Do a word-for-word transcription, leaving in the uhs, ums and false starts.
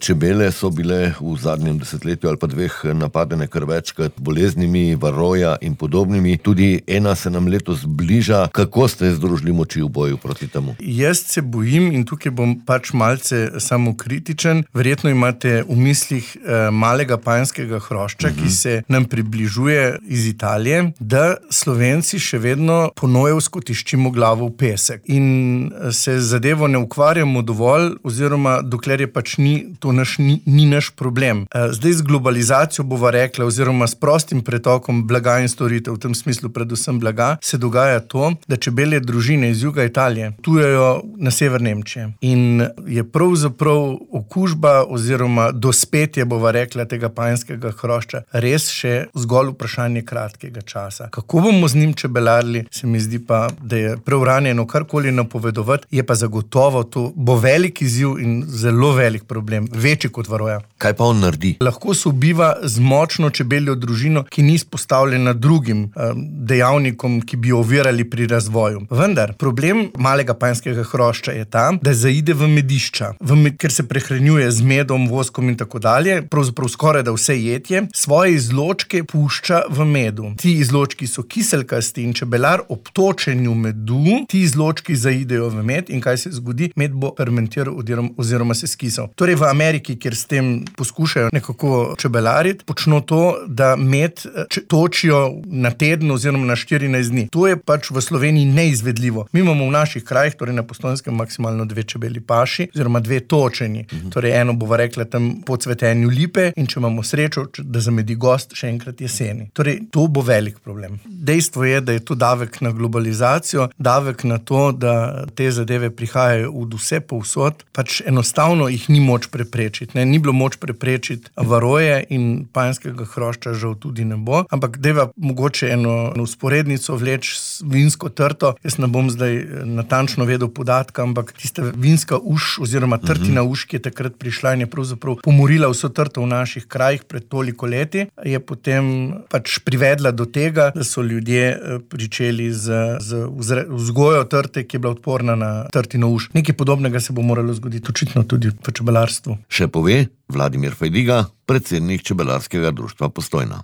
Čebele so bile v zadnjem desetletju ali pa dveh napadene kar večkrat boleznimi, varoja in podobnimi. Tudi ena se nam letos bliža. Kako ste združili moči v boju proti temu? Jaz se bojim in tukaj bom pač malce samokritičen. Verjetno imate v mislih eh, malega panjskega hrošča, uh-huh. ki se nam približuje iz Italije, da Slovenci še vedno ponojevsko tiščimo glavo v pesek in se zadevo ne ukvarjamo dovolj, oziroma dokler je pač ni, to naš, ni, ni naš problem. Zdaj z globalizacijo bova rekla, oziroma s prostim pretokom blaga in storitev, v tem smislu predvsem blaga, se dogaja to, da čebelje družine iz juga Italije tujejo na sever Nemčije. In je pravzaprav okužba oziroma dospetje, bova rekla, tega panjskega hrošča res še zgolj vprašanje kratkega časa. Kako bomo z njim čebelarili, se mi zdi pa, da je preuranjeno karkoli napovedovati, je pa zagotovo to bo velik izziv in zelo velik problem, večji kot varoja. Kaj pa on naredi? Lahko se ubiva z močno čebeljo družino, ki ni izpostavljena drugim um, dejavnikom, ki bi ovirali pri razvoju. Vendar, problem malega panjskega hrošča je ta, da zaide v medišča, v med, ker se prehranjuje z medom, voskom in tako dalje, pravzaprav skoraj da vse jetje, svoje izločke pušča v medu. Ti izločki so kiselkasti in čebelar ob točenju medu, ti izločki zaidejo v med in kaj se zgodi? Med bo fermentiral oziroma se skisal. Torej v Ameriki, kjer s tem poskušajo nekako čebelariti, počno to, da med točijo na teden oziroma na štirinajst dni. To je pač v Sloveniji neizvedljivo. Mi imamo v naših krajih, torej na Postojnskem, maksimalno dve čebeli paši, oziroma dve točeni. Mhm. Torej eno bova rekla tam po cvetenju lipe in če imamo srečo, da zamedi gost še enkrat jeseni. Torej, to bo velik problem. Dejstvo je, da je to davek na globalizacijo, davek na to, da te zadeve prihajajo od vse povsod, pač enostavno jih ni moč preprečiti. Ne? Ni bilo moč preprečiti varoje in panjskega hrošča žal tudi ne bo, ampak deva mogoče eno usporednico vleč s vinsko trto. Jaz ne bom zdaj natančno vedel podatka, ampak tista vinska uš oziroma trtina uš, ki je takrat prišla in je pravzaprav pomorila vso trto v naših krajih pred toliko leti, je potem pač privedla do tega, da so ljudje pričeli z, z vzgojo trte, ki je bila odporna na trtino uš. Nekaj podobnega se bo moralo zgoditi očitno tudi v čebelarstvu. Še pove Vladimir Fajdiga, predsednik Čebelarskega društva Postojna.